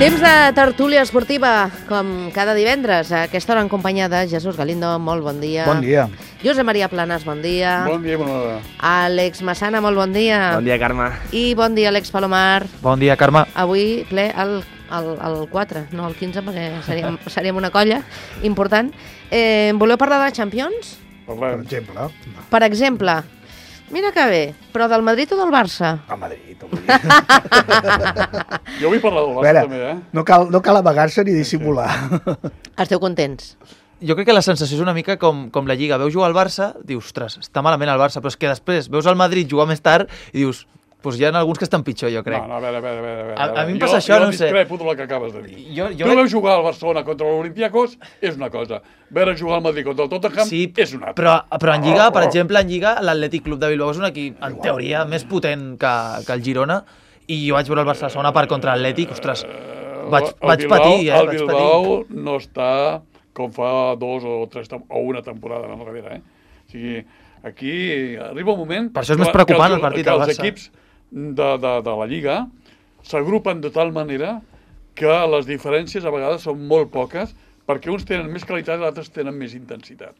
Temps de tertúlia esportiva, com cada divendres, a aquesta hora en companyia de Jesús Galindo, molt bon dia. Bon dia. Josep Maria Planas, bon dia. Bon dia, bona hora. Àlex Massana, molt bon dia. Bon dia, Carme. I bon dia, Àlex Palomar. Bon dia, Carme. Avui ple el 4, no el 15, perquè seríem una colla important. Voleu parlar de Champions? Parlem. Per exemple, mira que bé, però del Madrid o del Barça? A Madrid. Jo vull parlar del Barça també, No cal amagar-se ni dissimular. Esteu contents? Jo crec que la sensació és una mica com la Lliga. Veus jugar al Barça, dius, ostres, està malament el Barça, però és que després veus el Madrid jugar més tard i dius, doncs hi ha alguns que estan pitjor, jo crec. No, a veure. A mi em passa això, no sé. Jo discrepo del que acabes de dir. Jo Tu veus jugar al Barcelona contra l'Olympiacos és una cosa. Veure jugar al Madrid contra el Tottenham és una altra. Però en Lliga, per exemple, l'Atlètic Club de Bilbao és un equip, en teoria, més potent que el Girona, i jo vaig veure el Barça a la segona part contra l'Atlètic, ostres, vaig patir. El Bilbao no està com fa 2 o 3 o una temporada enrere, O sigui, aquí arriba un moment... Per això és més preocupant el partit del Barça. Que els equips de la Lliga s'agrupen de tal manera que les diferències a vegades són molt poques perquè uns tenen més qualitat i altres tenen més intensitat.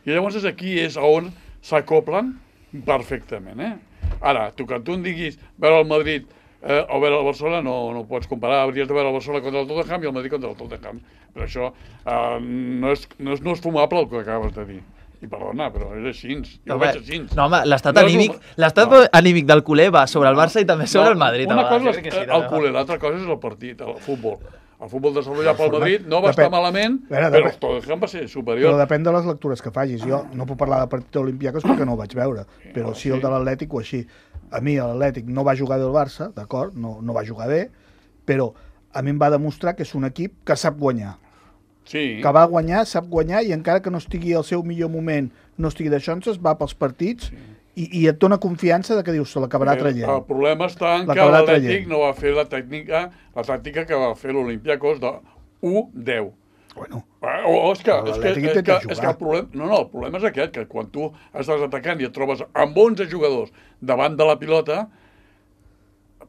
I llavors aquí és on s'acoplen perfectament, Ara, que tu em diguis veure el Madrid o veure el Barcelona no pots comparar, hauries de veure el Barcelona contra el Tottenham i el Madrid contra el Tottenham. Però això no és fumable el que acabes de dir. I perdona, però és així, jo ho veig així. No, home, l'estat anímic del culer va sobre el Barça i també sobre el Madrid. Una cosa és el culer, l'altra cosa és el partit, el futbol. El futbol desenvolupat pel Madrid no va estar malament, però el Tottenham va ser superior. Però depèn de les lectures que facis. Jo no puc parlar del partit de l'Olympiacos perquè no ho vaig veure, però sí el de l'Atlètic o així. A mi l'Atlètic no va jugar bé el Barça, d'acord, no va jugar bé, però a mi em va demostrar que és un equip que sap guanyar. Sí. Que va guanyar, sap guanyar, i encara que no estigui al seu millor moment, no estigui d'això, va pels partits i et dona confiança de que dius, se l'acabarà traient. El problema està en que l'Atlètic no va fer la tàctica que va fer l'Olympiacos de 1-10. Bueno, és que el problema és aquest, que quan tu estàs atacant i et trobes amb 11 jugadors davant de la pilota,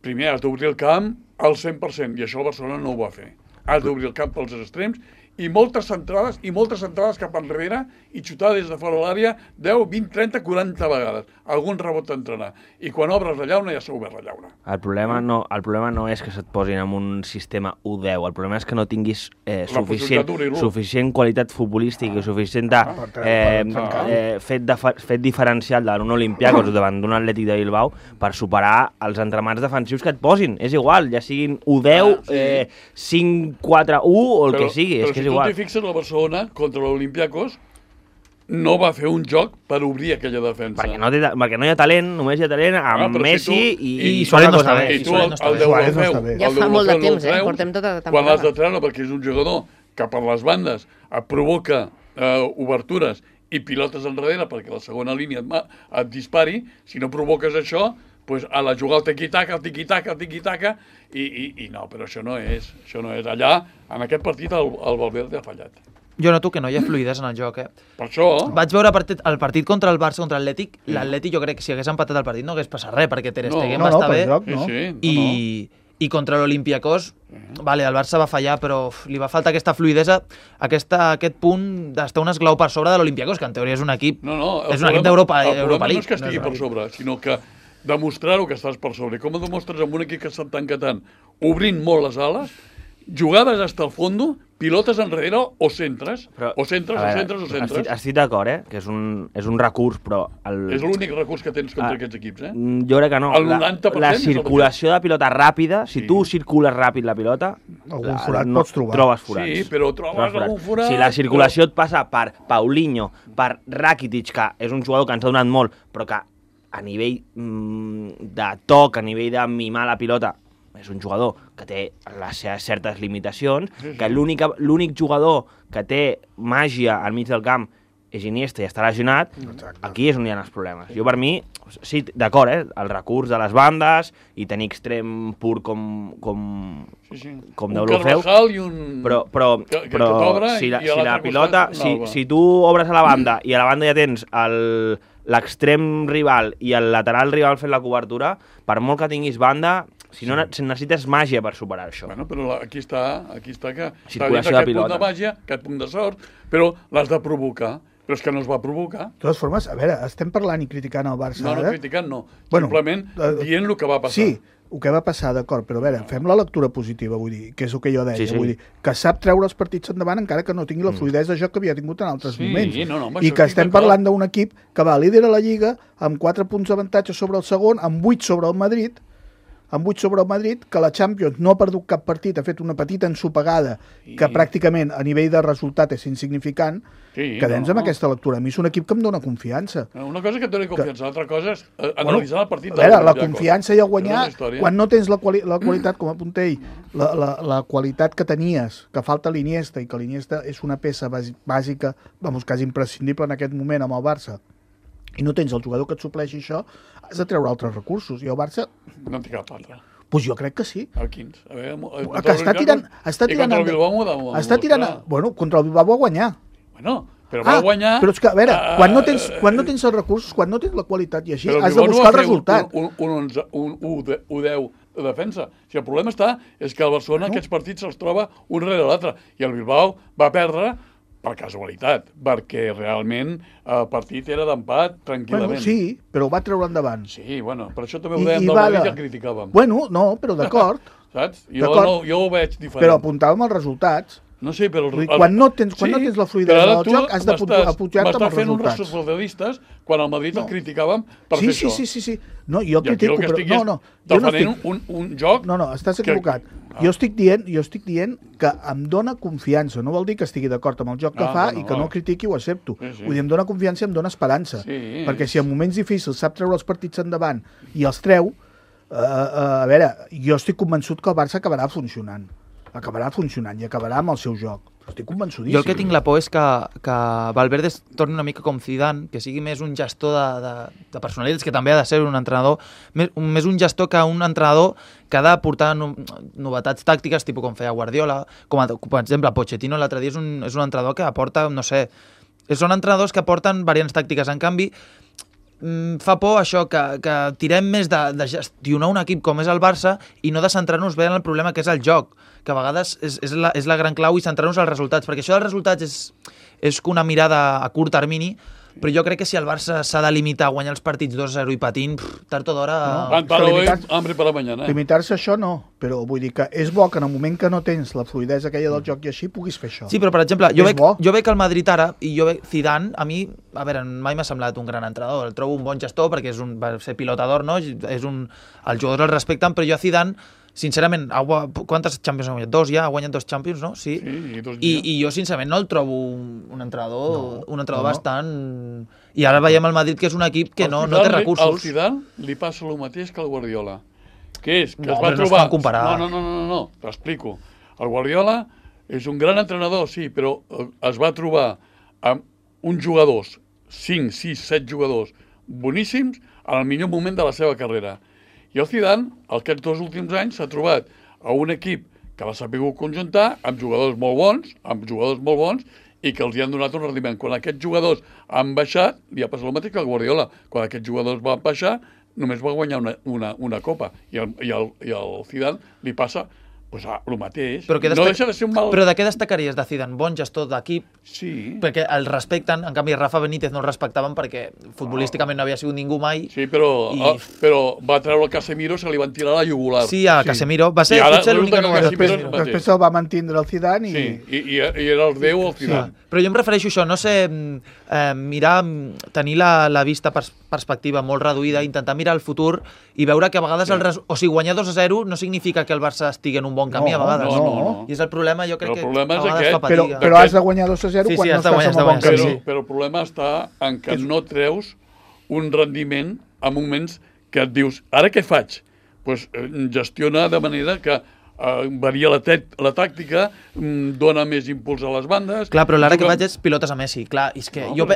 primer has d'obrir el camp al 100%, i això el Barcelona no ho va fer. Has d'obrir el camp pels extrems i moltes centrades cap enrere i xutar des de fora de l'àrea 10, 20, 30, 40 vegades. Algun rebot t'entrarà. I quan obres la llauna ja s'ha obert la llauna. El problema no és que se't posin en un sistema 1-10. El problema és que no tinguis suficient qualitat futbolística i suficient fet diferencial davant un Olympiacos o davant d'un Atlètic de Bilbao per superar els entramats defensius que et posin. És igual, ja siguin 1-10, 5-4-1 o el que sigui. Però si tu t'hi fixes, el Barcelona contra l'Olympiacos no va fer un joc per obrir aquella defensa. Perquè no hi ha talent, només hi ha talent amb Messi i Suárez no està bé. I tu el Deulofeu, ja fa molt de temps, portem tota la temporada. Quan l'has de treure perquè és un jugador que per les bandes provoca obertures i pilotes enrere perquè la segona línia et dispari, si no provoques això, pues a la jugar al tiqui-taca, i no, però això no és. Allà, en aquest partit, el Valverde ha fallat. Jo noto que no hi ha fluïdesa en el joc, Per això... Vaig veure el partit contra el Barça, contra l'Atlètic. L'Atlètic jo crec que si hagués empatat el partit no hagués passat res, perquè Ter Stegen va estar bé. I contra l'Olympiacos, vale, el Barça va fallar, però li va faltar aquesta fluïdesa, aquest punt d'estar un esglau per sobre de l'Olympiacos, que en teoria és un equip d'Europa League. El problema no és que estigui per sobre, sinó que demostrar-ho que estàs per sobre. Com ho demostres amb un equip que està tancant tant, obrint molt les ales, jugades hasta el fondo, pilotes enrere o centres. O centres. Estic d'acord, que és un recurs, però... És l'únic recurs que tens contra aquests equips, Jo crec que no. El 90% la circulació de pilota ràpida, si tu circules ràpid la pilota... Algun forat pots trobar. Trobes forats. Sí, però trobes algun forat... Si la circulació et passa per Paulinho, per Rakitic, que és un jugador que ens ha donat molt, però que a nivell de toc, a nivell de mimar la pilota, és un jugador que té les seves certes limitacions, que l'únic jugador que té màgia al mig del camp és Iniesta i està lesionat. Aquí és on hi ha els problemes. Jo, per mi, sí, d'acord, el recurs de les bandes i tenir extrem pur com Deulofeu, però si la pilota, si tu obres a la banda i a la banda ja tens l'extrem rival i el lateral rival fent la cobertura, per molt que tinguis banda, Si no, necessites màgia per superar això. Bueno, però aquí està que... Circulació de pilota. Aquest punt de màgia, aquest punt de sort, però l'has de provocar. Però és que no es va provocar. De totes formes, a veure, estem parlant i criticant el Barça No, ara. criticant no. Bueno, simplement dient el que va passar. Sí, el que va passar, d'acord, però a veure, fem la lectura positiva, vull dir, que és el que jo deia, Sí. vull dir, que sap treure els partits endavant encara que no tingui la fluïdesa de joc que havia tingut en altres moments. amb I això que estic estem d'acord. parlant d'un equip que va líder a la Lliga amb 4 punts d'avantatge sobre el segon, amb 8 sobre el Madrid, que la Champions no ha perdut cap partit, ha fet una petita ensopegada que pràcticament a nivell de resultat és insignificant. Quedem amb aquesta lectura. A mi és un equip que em dona confiança. Una cosa que et doni confiança, l'altra cosa és analitzar el partit. A veure, la confiança i el guanyar, quan no tens la qualitat, com apunta ell, la qualitat que tenies, que falta l'Iniesta, i que l'Iniesta és una peça bàsica, quasi imprescindible en aquest moment amb el Barça, i no tens el jugador que et supleixi això, has de treure altres recursos. I el Barça... No en té cap altre. Doncs jo crec que sí. A quins? A veure, que està tirant... I contra el Bilbao m'ho demostra. Està tirant... Bueno, contra el Bilbao va guanyar. Bueno, però va guanyar... Però és que, a veure, quan no tens els recursos, quan no tens la qualitat i així, has de buscar el resultat. Un 1-10 de defensa. Si el problema és que el Barcelona aquests partits se'ls troba un rere l'altre. I el Bilbao va perdre per casualitat, perquè realment el partit era d'empat tranquil·lament. Bueno, sí, però ho va treure endavant. Sí, bueno, per això també ho dèiem del Madrid i el criticàvem. Bueno, no, però d'acord. Saps? Jo ho veig diferent. Però apuntàvem els resultats. No sé, però... Quan no tens la fluïdesa del joc, has de pujar-te amb els resultats. M'estàs fent uns resultadistes quan al Madrid el criticàvem per fer això. Sí. No, jo critico, però... No, defendent un joc... No, estàs equivocat. Jo estic dient que em dona confiança. No vol dir que estigui d'acord amb el joc que fa i que no critiqui o accepto. Vull dir, em dona confiança i em dona esperança. Perquè si en moments difícils sap treure els partits endavant i els treu, a veure, jo estic convençut que el Barça acabarà funcionant i acabarà amb el seu joc. Estic convençudíssim. Jo el que tinc la por és que Valverde es torni una mica com Zidane, que sigui més un gestor de personalitats, que també ha de ser un entrenador, més un gestor que un entrenador que ha de portar novetats tàctiques, tipus com feia Guardiola, com per exemple Pochettino l'altre dia és un entrenador que aporta, no sé, són entrenadors que aporten variants tàctiques. En canvi, fa por això, que tirem més de gestionar un equip com és el Barça i no de centrar-nos bé en el problema que és el joc, que a vegades és la gran clau, i centrar-nos als resultats, perquè això dels resultats és una mirada a curt termini, però jo crec que si el Barça s'ha de limitar a guanyar els partits 2-0 i patint, tard o d'hora... Hambre per la mañana. Limitar-se això no, però vull dir que és bo que en el moment que no tens la fluïdesa aquella del joc i així puguis fer això. Sí, però per exemple, jo veig el Madrid ara, i jo veig Zidane, a mi, a veure, mai m'ha semblat un gran entrenador, el trobo un bon gestor perquè va ser pilotador, no? Els jugadors el respecten, però jo a Zidane, sincerament, quantes Champions ha guanyat? 2 ja? Ha guanyat 2 Champions, no? Sí. I jo, sincerament, no el trobo un entrenador bastant... I ara veiem el Madrid, que és un equip que no té recursos. Al Zidane li passa el mateix que al Guardiola. Que és que es va trobar... No es fan comparar. No, t'explico. El Guardiola és un gran entrenador, sí, però es va trobar amb uns jugadors, 5, 6, 7 jugadors boníssims en el millor moment de la seva carrera. I el Zidane, aquests 2 últims anys, s'ha trobat a un equip que l'ha sabut conjuntar amb jugadors molt bons, i que els hi han donat un rendiment. Quan aquests jugadors han baixat, li ha passat el mateix que el Guardiola. Quan aquests jugadors van baixar, només va guanyar una copa. I al Zidane li passa el mateix. Però no deixa de ser un mal... Però de què destacaries de Zidane? Bon gestor d'equip? Sí. Perquè el respecten, en canvi Rafa Benítez no el respectaven perquè futbolísticament no havia sigut ningú mai. Sí, però va treure el Casemiro, se li van tirar a la jugular. Sí, a Casemiro. Va ser potser l'única novetat. Després se'l va mantenir el Zidane i... Sí, i era el Déu el Zidane. Sí. Però jo em refereixo a això, no sé, tenir la vista perspectiva molt reduïda, intentar mirar el futur i veure que a vegades guanyar 2-0 no significa que el Barça estigui en un bon camí a vegades. No. I és el problema, jo crec que a vegades fa fatiga. Però has de guanyar 2-0 quan no estàs en un bon camí. Però el problema està en que no treus un rendiment a moments que et dius, ara què faig? Doncs gestiona de manera que varia la tàctica, dona més impuls a les bandes... Clar, però l'ara que faig és pilotes a Messi. Clar, jo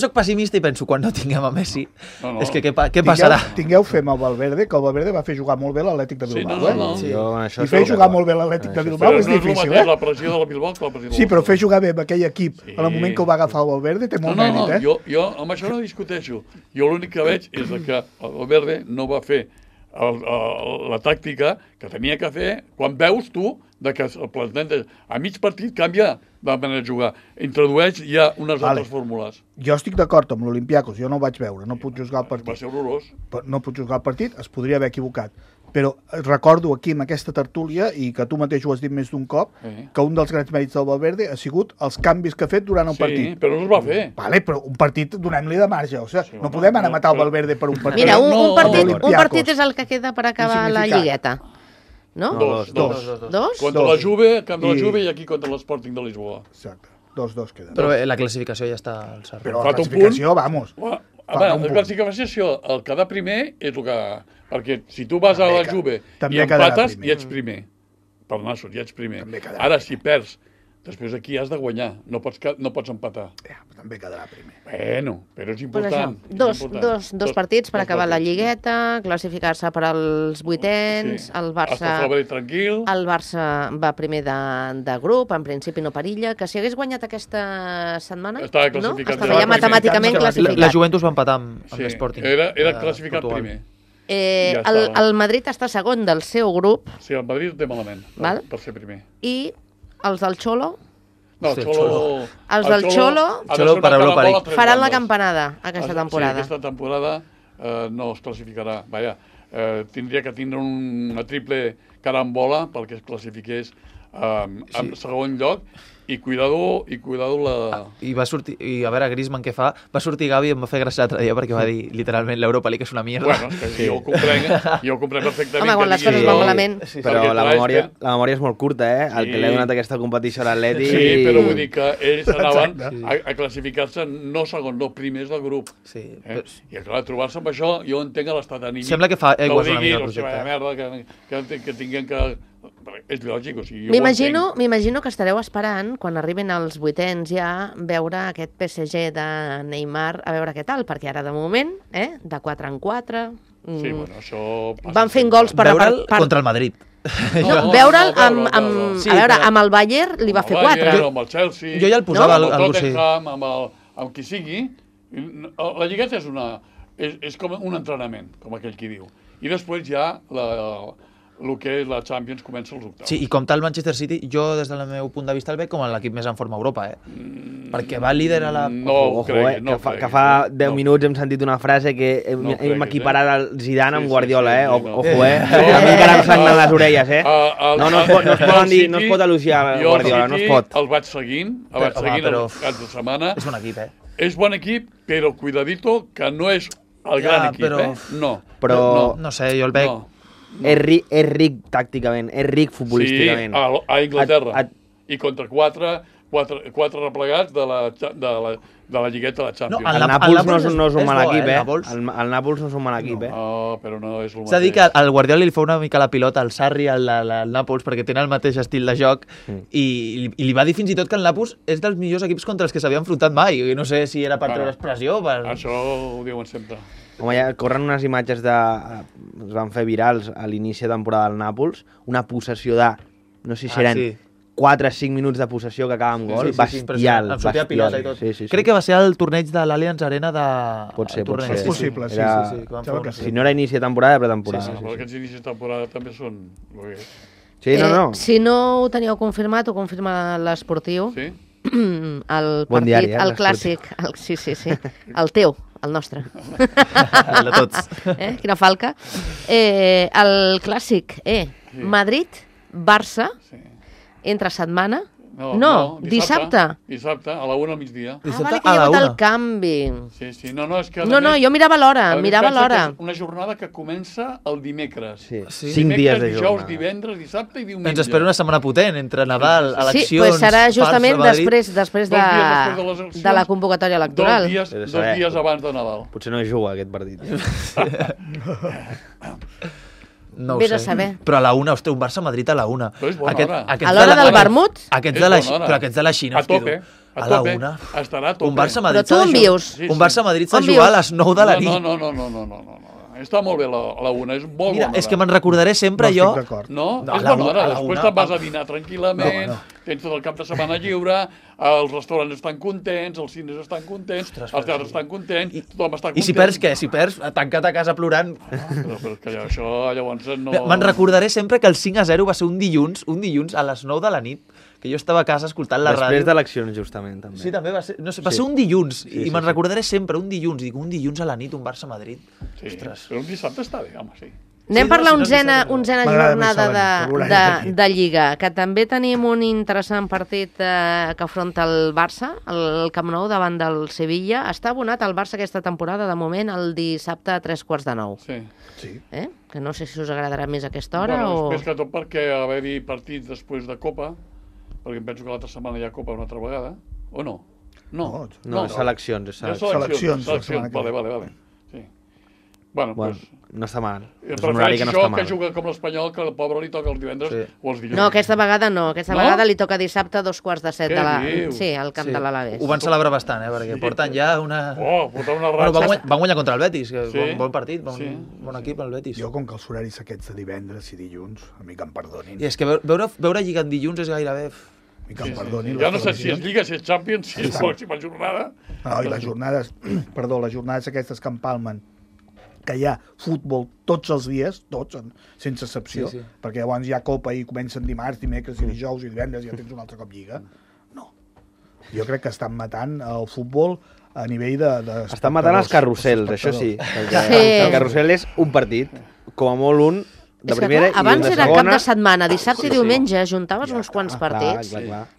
soc pessimista i penso, quan no tinguem a Messi, és que què passarà? Tingueu fe amb el Valverde, que el Valverde va fer jugar molt bé l'Atlètic de Bilbao. I fer jugar molt bé l'Atlètic de Bilbao és difícil, la pressió de la Bilbao que la pressió de la... Sí, però fer jugar bé amb aquell equip en el moment que ho va agafar el Valverde té molt mèrit, eh? Jo amb això no discuteixo. Jo l'únic que veig és que el Valverde no va fer la tàctica que tenia que fer quan veus tu que el planteja a mig partit canvia de manera de jugar, introdueix ja unes altres fórmules. Jo estic d'acord amb l'Olympiacos, jo no ho vaig veure, no puc juzgar el partit. Va ser horrorós. No puc juzgar el partit, es podria haver equivocat. Però recordo aquí, en aquesta tertúlia, i que tu mateix ho has dit més d'un cop, que un dels grans mèrits del Valverde ha sigut els canvis que ha fet durant el partit. Sí, però no es va fer. Vale, però un partit donem-li de marge. O sigui, no podem anar a matar el Valverde per un partit. Mira, un partit és el que queda per acabar la lligueta. No? Dos. Contra la Juve, camp de la Juve, i aquí contra l'Sporting de Lisboa. Exacte. 2-2 queda. Però la classificació ja està al cert. Però la classificació, vamos. La classificació, el quedar primer és el que... Perquè si tu vas a la Juve i empates, ja ets primer. Per nassos, ja ets primer. Ara, si perds, després aquí has de guanyar. No pots empatar. També quedarà primer. Bueno, però és important. Dos partits per acabar la lligueta, classificar-se per als vuitens, el Barça va primer de grup, en principi no perilla, que si hagués guanyat aquesta setmana, estava ja matemàticament classificat. La Juventus va empatar amb l'Sporting. Era classificat primer. El Madrid està segon del seu grup. Sí, el Madrid té malament per ser primer. I els del Xolo... No, els del Xolo per Europa League faran la campanada aquesta temporada. Sí, aquesta temporada no es classificarà. Vaja, tindria que tindre una triple carambola perquè es classifiqués en segon lloc. I cuidado la... I va sortir, i a veure, Griezmann què fa? Va sortir Gavi i em va fer gràcia l'altre dia perquè va dir, literalment, l'Europa League és una mierda. Bueno, és que jo ho comprenc perfectament. Home, quan les coses van malament... Però la memòria és molt curta, el que li ha donat aquesta competició a l'Atleti... Sí, però vull dir que ells anaven a classificar-se no segon, no primers del grup. I clar, trobar-se amb això, jo entenc l'estat anímic. Sembla que fa aigües una mica el projecte. Merda, que tinguin que... És lògic, o sigui, M'imagino que estareu esperant, quan arriben als vuitens ja, veure aquest PSG de Neymar, a veure què tal, perquè ara de moment, de 4 en 4... Sí, bueno, això... Van fent gols per... Veure'l contra el Madrid. No, veure'l amb el Bayern li va fer 4. Amb el Chelsea... Jo ja el posava al Tottenham, amb qui sigui. La lligueta és com un entrenament, com aquell qui diu. I després ja el que és la Champions comença als octaus. Sí, i com tal Manchester City, jo des del meu punt de vista el veig com l'equip més en forma a Europa, perquè va líder a la... Que fa 10 minuts hem sentit una frase que hem equiparat el Zidane amb Guardiola, Ojo, a mi encara em sangren les orelles, No es pot elogiar Guardiola, no es pot. El vaig seguint els caps de setmana. És un equip, És bon equip, però cuidadito, que no és el gran equip, No. Però, no sé, jo el veig... És ric tàcticament, és ric futbolísticament. Sí, a Inglaterra. I contra quatre replegats de la lligueta de la Champions. El Nàpols no és un mal equip, El Nàpols no és un mal equip, No, però no és el mateix. S'ha dit que al Guardiola li fa una mica la pilota al Sarri, al Nàpols, perquè tenen el mateix estil de joc, i li va dir fins i tot que el Nàpols és dels millors equips contra els que s'havia enfrontat mai. No sé si era per treure expressió. Això ho diuen sempre. Home, ja corren unes imatges es van fer virals a l'inici de temporada del Nàpols, una possessió de, no sé si eren 4 o 5 minuts de possessió que acaba amb gol, bestial. Em sortia pilota i tot. Crec que va ser el torneig de l'Allianz Arena de... Pot ser. És possible, sí. Si no era inici de temporada, pretemporada. Però aquests inicis de temporada també són... Sí, no. Si no ho teníeu confirmat, ho confirma l'Esportiu. Sí? El partit, el clàssic, sí, el teu, el nostre. El de tots. Quina falca. El clàssic, Madrid-Barça, entre setmana. No, dissabte. Dissabte, a la 1 al migdia. Vale, que hi ha hagut el canvi. Sí, no, és que... No, jo mirava l'hora, Una jornada que comença el dimecres. 5 dies de jornada. Dijous, divendres, dissabte i diumenge. Ens espera una setmana potent, entre Nadal, eleccions... Sí, doncs serà justament després de la convocatòria electoral. 2 dies abans de Nadal. Potser no juga aquest partit. No ho Vés a sé. saber. Però a la 1, ostres, un Barça-Madrid a la 1. Però és bona hora. A l'hora del vermut? Però aquests de la Xina, a tope. A la 1. Estarà a tope. Un Barça-Madrid Però tu on vius? Un Barça-Madrid s'ha de jugar a les 9 de la nit. No. Està molt bé la una, és molt bona. Mira, és que me'n recordaré sempre jo... No estic d'acord. No? És bona hora. Després te'n vas a dinar tranquil·lament, tens tot el cap de setmana lliure, els restaurants estan contents, els cines estan contents, els teatres estan contents, tothom està content. I si perds què? Si perds, tancat a casa plorant... Però que això llavors no... Me'n recordaré sempre que el 5-0 va ser un dilluns a les 9 de la nit, que jo estava a casa escoltant la ràdio. Després d'eleccions, justament, també. Sí, també va ser, no sé, va ser un dilluns, i me'n recordaré sempre, un dilluns a la nit, un Barça-Madrid. Sí, però un dissabte està bé, home, sí. Anem per la onzena jornada de Lliga, que també tenim un interessant partit que afronta el Barça, el Camp Nou davant del Sevilla. Està abonat el Barça aquesta temporada, de moment, el dissabte a 9:15. Sí. Que no sé si us agradarà més aquesta hora o... Més que tot perquè haver-hi partits després de Copa, perquè em penso que l'altra setmana hi ha Copa una altra vegada, o no? No, és seleccions. Seleccions. Vale. Sí. Bueno, pues... No està mal. És un horari que no està mal. Que juga com l'Espanyol, que el pobre li toca els divendres o els dilluns. No, aquesta vegada no. Aquesta vegada li toca dissabte a 6:15 de la... Sí, al camp de l'Alavés. Ho van celebrar bastant, perquè porten ja una... Porten una ratxa. Van guanyar contra el Betis, que bon partit, bon equip el Betis. Jo, com que els horaris aquests de divendres i dilluns, a mi que em perdonin. I és que veure Lliga en dilluns és gairebé... Ja no sé si és Lliga, si és Champions, si és pròxima jornada. No, i les jornades aquestes que empalmen, que hi ha futbol tots els dies, tots, sense excepció, perquè llavors hi ha Copa i comencen dimarts, dimecres i dijous i divendres i ja tens un altre cop Lliga. No. Jo crec que estan matant el futbol a nivell de estan matant els carrusels, això sí. El carrusel és un partit, com a molt un, de primera i un de segona. Abans era cap de setmana, dissabte i diumenge, juntaves uns quants partits.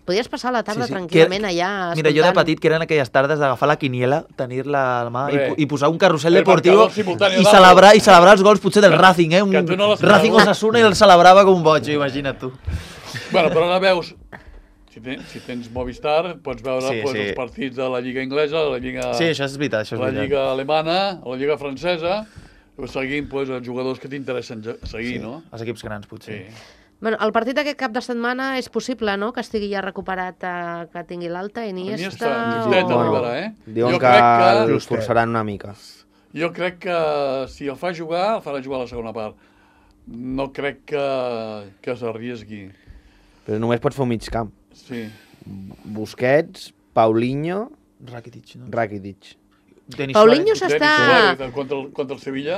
Podies passar la tarda tranquil·lament allà escoltant. Mira, jo de petit, que eren aquelles tardes d'agafar la quiniela, tenir-la a la mà i posar un carrusel deportiu i celebrar els gols potser del Racing, un Racing Osasuna i el celebrava com un boig, imagina't tu. Bueno, però ara veus, si tens Movistar, pots veure els partits de la Lliga Anglesa, la Lliga... Sí, això és veritat. La Lliga Alemana, la Lliga Francesa... seguint els jugadors que t'interessen seguir, no? Els equips grans, potser. Bueno, el partit d'aquest cap de setmana és possible, no?, que estigui ja recuperat, que tingui l'alta, Iniesta... Diuen que l'esforçaran una mica. Jo crec que si el fa jugar, el farà jugar a la segona part. No crec que s'arriesgui. Però només pots fer un mig camp. Sí. Busquets, Paulinho... Rakitic. Paulinho s'està... Contra el Sevilla,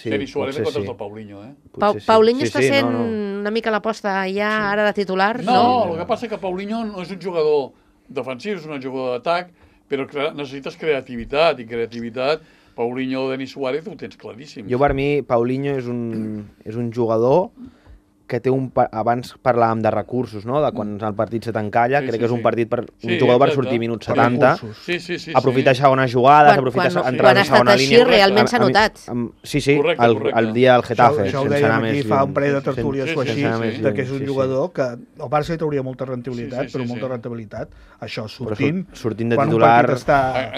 Denis Suárez contra el Paulinho, Paulinho està sent una mica l'aposta ja ara de titular, no? No, el que passa és que Paulinho no és un jugador defensiu, és un jugador d'atac, però necessites creativitat, i creativitat, Paulinho o Denis Suárez ho tens claríssim. Jo, per mi, Paulinho és un jugador que té abans parlàvem de recursos, no? De quan el partit se t'encalla, crec que és un partit per un jugador per sortir minuts 70, aprofitar segona jugada, aprofitar entrar a la segona línia. Quan ha estat així, realment s'ha notat. Sí, el dia del Getafe. Això ho dèiem aquí fa un parell de tertúlies o així, que és un jugador que el Barça hi trauria molta rentabilitat, però molta rentabilitat. Això, sortint de titular...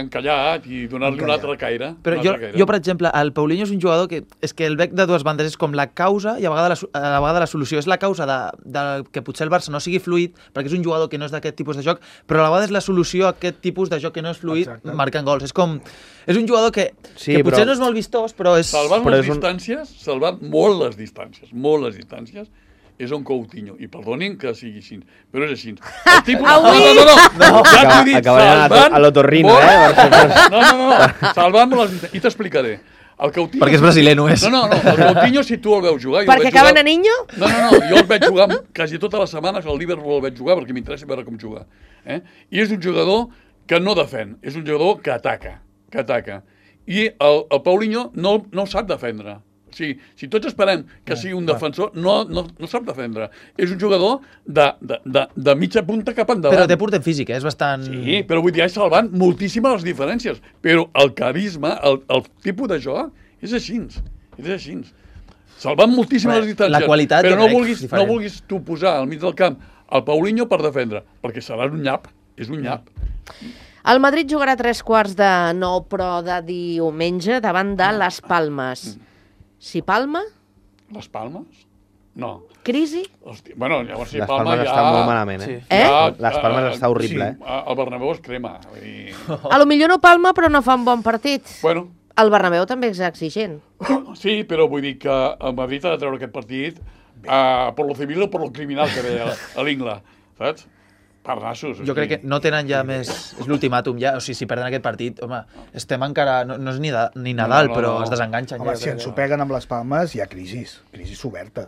Encallat i donar-li un altre caire. Però jo, per exemple, el Paulinho és un jugador que és que el bec de dues bandes és com la causa i a vegades la solució. És la causa de que potser el Barça no sigui fluid, perquè és un jugador que no és d'aquest tipus de joc, però a la vegada és la solució a aquest tipus de joc que no és fluid, marcant gols. És un jugador que potser no és molt vistós, però és... Salvant molt les distàncies, és un Coutinho. I perdonin que sigui així, però és així. El tipus... No, acabarà a l'otorrino, No, salvant molt les distàncies. I t'explicaré. Perquè és brasiler, no és? No, el Coutinho, si tu el veus jugar... Perquè acaben a Niño? No, jo el veig jugar quasi totes les setmanes, al Liverpool el veig jugar perquè m'interessa veure com juga. I és un jugador que no defèn, és un jugador que ataca. I el Paulinho no sap defendre. O sigui, si tots esperem que sigui un defensor, no sap defendre. És un jugador de mitja punta cap endavant. Però té porter físic, és bastant... Sí, però vull dir, és salvant moltíssimes les diferències. Però el carisma, el tipus de joc, és així. Salvant moltíssimes les distàncies. La qualitat, però no vulguis tu posar al mig del camp el Paulinho per defendre, perquè serà un nyap. És un nyap. El Madrid jugarà a 8:45, però de diumenge, davant de les Palmes. Si Palma? Les Palmes? No. Crisi? Hòstia, bueno, llavors si les Palma Palmes està molt malament, Les Palmes està horrible, El Bernabéu es crema. A lo millor no Palma, però no fa un bon partit. Bueno, El Bernabéu també és exigent. Sí, però vull dir que el Madrid ha de treure aquest partit per lo civil o per lo criminal que deia a l'Ingla, saps? Per nassos. Jo crec que no tenen ja més... És l'ultimàtum ja. O sigui, si perden aquest partit, home, estem encara... No és ni Nadal, però es desenganxen. Home, si ens ho peguen amb les palmes, hi ha crisi oberta.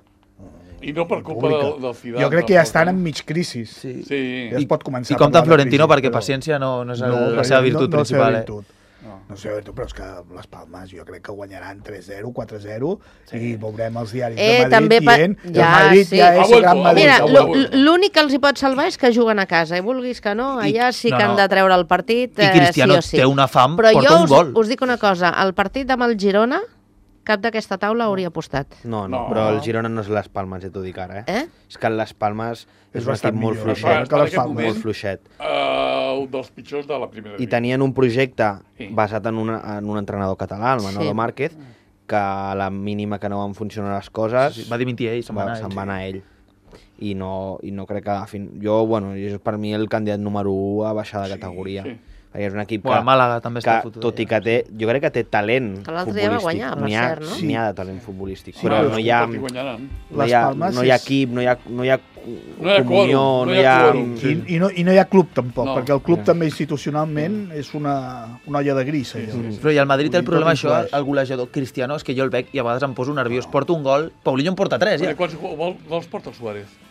I no per culpa del Zidane. Jo crec que ja estan en mig crisi. Sí. Ja es pot començar a parlar de crisi. I compta Florentino perquè paciència no és la seva virtut principal. No sé, però és que les Palmes jo crec que guanyaran 3-0, 4-0 i veurem els diaris de Madrid dient que el Madrid ja és el gran Madrid. Mira, l'únic que els hi pot salvar és que juguen a casa, i vulguis que no, allà sí que han de treure el partit, I Cristiano té una fam, porta un gol. Però jo us dic una cosa, el partit amb el Girona, cap d'aquesta taula hauria apostat. No, però el Girona no és les Palmes, ja t'ho dic ara. És que les Palmes és un equip molt fluixet. Un dels pitjors de la primera I tenien un projecte basat en un entrenador català, el Manolo Márquez, que a la mínima que no van funcionar les coses... Va dimitir ell, se'n va anar ell. I no crec que... Jo, és per mi el candidat número 1 a baixar de categoria. És un equip que, Màlaga també està fotut, tot i que té, jo crec que té talent futbolístic. Va guanyar, per cert, no? N'hi ha de talent futbolístic, però no hi ha equip, no hi ha comunió, no hi ha... I no hi ha club tampoc, perquè el club també institucionalment és una olla de gris. Però i el Madrid té el problema això, el golejador Cristiano, és que jo el veig i a vegades em poso nerviós, porta un gol, Paulinho en porta 3, ja. Quants gols porta el Suárez?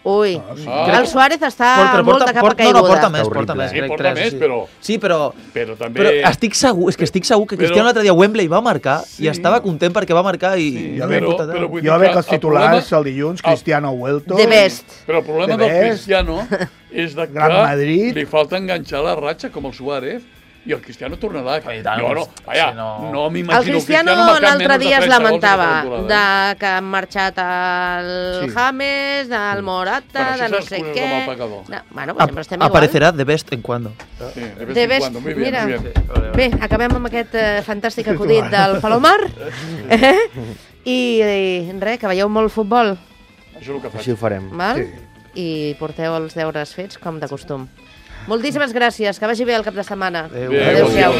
Ui, el Suárez està molt de capa caiguda. No, porta més. Sí, porta més, però... Sí, però també... Però estic segur que Cristiano l'altre dia a Wembley va marcar i estava content perquè va marcar i... Jo veig els titulars el dilluns, Cristiano Huelto... The best. Però el problema del Cristiano és que li falta enganxar la ratxa com el Suárez i el Cristiano tornarà. No m'imagino... El Cristiano l'altre dia es lamentava que han marxat el James, del Morata, de no sé què... Bueno, sempre estem igual. Aparecerà de vez en cuando. De vez, mira. Bé, acabem amb aquest fantàstic acudit del Palomar. I res, que veieu molt futbol. Així ho farem. I porteu els deures fets, com de costum. Moltíssimes gràcies, que vagi bé el cap de setmana. Adéu-siau.